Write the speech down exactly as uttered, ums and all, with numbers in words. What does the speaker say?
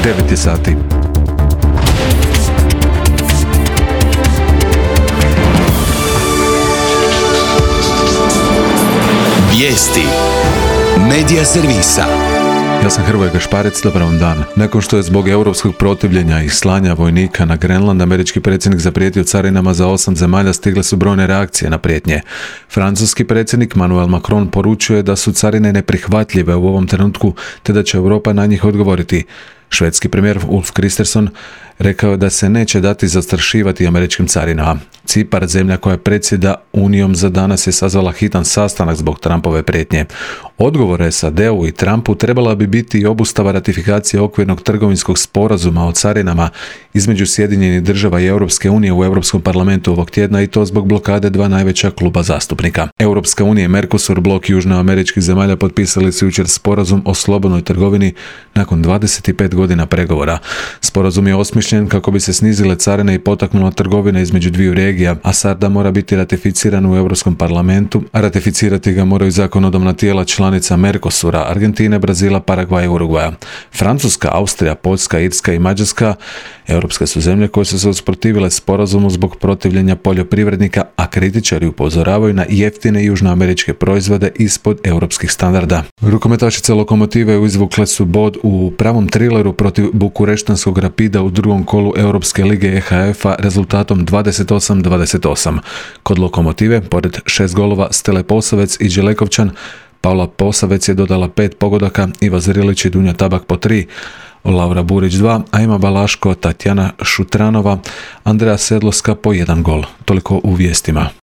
devet je sati. Vijesti Medija servisa. Ja sam Hrvoje Gašparec, dobar vam dan. Nakon što je zbog europskog protivljenja i slanja vojnika na Grenland, američki predsjednik zaprijetio carinama za osam zemalja, stigle su brojne reakcije na prijetnje. Francuski predsjednik Emmanuel Macron poručuje da su carine neprihvatljive u ovom trenutku, te da će Europa na njih odgovoriti. Švedski premijer Ulf Kristersson rekao je da se neće dati zastrašivati američkim carinama. Cipar, zemlja koja predsjeda Unijom, za danas je sazvala hitan sastanak zbog Trumpove prijetnje. Odgovor S A D-u i Trumpu trebala bi biti i obustava ratifikacije okvirnog trgovinskog sporazuma o carinama između Sjedinjenih država i Europske unije u Europskom parlamentu ovog tjedna, i to zbog blokade dva najveća kluba zastupnika. Europska unija i Mercosur, blok južnoameričkih zemalja, potpisali su jučer sporazum o slobodnoj trgovini nakon dvadeset pet godina pregovora. Sporazum je osmišljen kako bi se snizile carine i potaknula trgovina između dviju regija, a sada mora biti ratificiran u Europskom parlamentu, a ratificirati ga moraju zakonodavna tijela članica Mercosura, Argentine, Brazila, Paragvaja i Urugvaja. Francuska, Austrija, Poljska, Irska i Mađarska europske su zemlje koje su se usprotivile sporazumu zbog protivljenja poljoprivrednika, a kritičari upozoravaju na jeftine južnoameričke proizvode ispod europskih standarda. Rukometašice Lokomotive izvukle su bod u pravom trileru protiv bukureštanskog Rapida u drugom kolu Europske lige E H F-a rezultatom dvadeset osam dvadeset osam. Kod Lokomotive, pored šest golova Stele Posavec i Đelekovčan, Paula Posavec je dodala pet pogodaka, Iva Zrilić i Dunja Tabak po tri, Laura Burić dva, a Ema Balaško, Tatjana Šutranova, Andreja Sedloska po jedan gol. Toliko u vijestima.